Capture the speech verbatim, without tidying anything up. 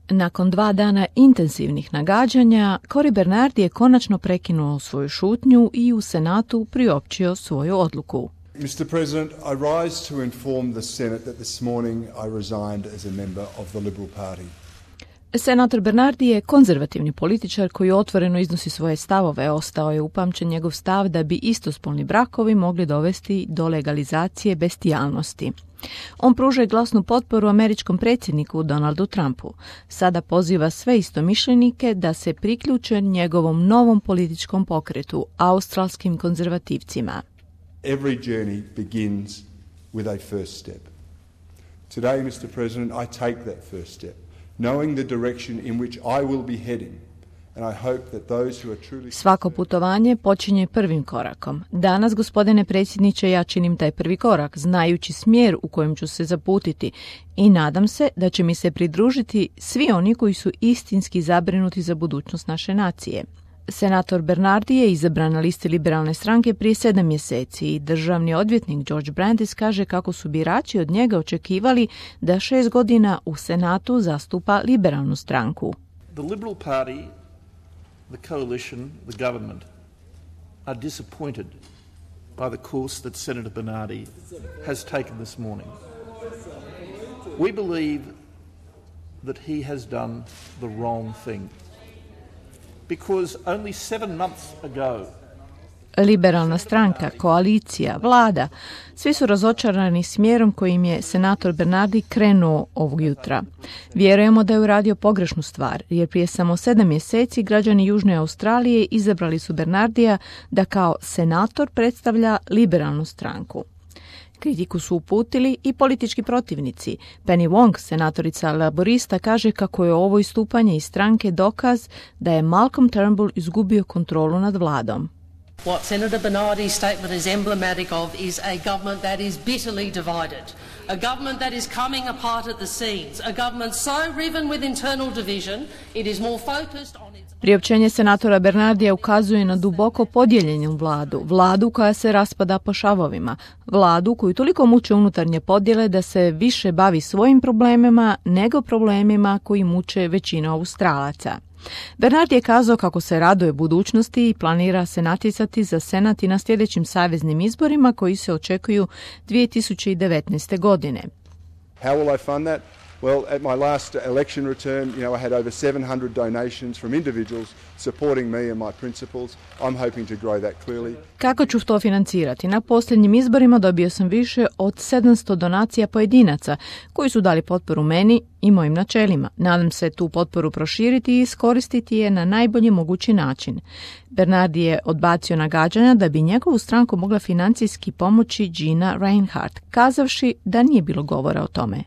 Nakon dva dana intenzivnih nagađanja, Cory Bernardi je konačno prekinuo svoju šutnju i u Senatu priopćio svoju odluku. Mister President, I rise to inform the Senate that this morning I resigned as a member of the Liberal Party. Senator Bernardi je konzervativni političar koji otvoreno iznosi svoje stavove. Ostao je upamćen njegov stav da bi istospolni brakovi mogli dovesti do legalizacije bestijalnosti. On pruža glasnu potporu američkom predsjedniku Donaldu Trumpu. Sada poziva sve istomišljenike da se priključe njegovom novom političkom pokretu, australskim konzervativcima. Every journey begins with a first step. Today, Mister President, I take that first step, knowing the direction in which I will be heading. And I hope that those who are truly... Svako putovanje počinje prvim korakom. Danas, gospodine predsjedniče, ja činim taj prvi korak, znajući smjer u kojem ću se zaputiti i nadam se da će mi se pridružiti svi oni koji su istinski zabrinuti za budućnost naše nacije. Senator Bernardi je izabran na listi liberalne stranke prije sedam mjeseci i državni odvjetnik George Brandis kaže kako su birači od njega očekivali da šest godina u Senatu zastupa liberalnu stranku. The Liberal Party, the coalition, the government are disappointed by the course that Senator Bernardi has taken this morning. We believe that he has done the wrong thing. Because only seven months ago, liberalna stranka, koalicija, vlada, svi su razočarani smjerom kojim je senator Bernardi krenuo ovog jutra. Vjerujemo da je uradio pogrešnu stvar, jer prije samo sedam mjeseci građani Južne Australije izabrali su Bernardija da kao senator predstavlja liberalnu stranku. Kritiku su uputili i politički protivnici. Penny Wong, senatorica laborista, kaže kako je ovo istupanje iz stranke dokaz da je Malcolm Turnbull izgubio kontrolu nad vladom. What Senator Bernardi's statement is emblematic of is a government that is bitterly divided, a government that is coming apart at the seams, a government so riven with internal division it is more focused on its... Priopćenje senatora Bernardija ukazuje na duboko podijeljenu vladu, vladu koja se raspada po šavovima, vladu koju toliko muče unutarnje podjele da se više bavi svojim problemima nego problemima koji muče većinu Australaca. Bernardi je kazao kako se raduje budućnosti i planira se natjecati za senat i na sljedećim saveznim izborima koji se očekuju dvije tisuće devetnaeste. godine. How will I fund that? Well, at my last election return, you know, I had over seven hundred donations from individuals supporting me and my principles. I'm hoping to grow that clearly. Kako ću to financirati? Na posljednjim izborima dobio sam više od sedamsto donacija pojedinaca koji su dali potporu meni i mojim načelima. Nadam se tu potporu proširiti i iskoristiti je na najbolji mogući način. Bernardi je odbacio nagađanja da bi njegovu stranku mogla financijski pomoći Gina Rinehart, kazavši da nije bilo govora o tome.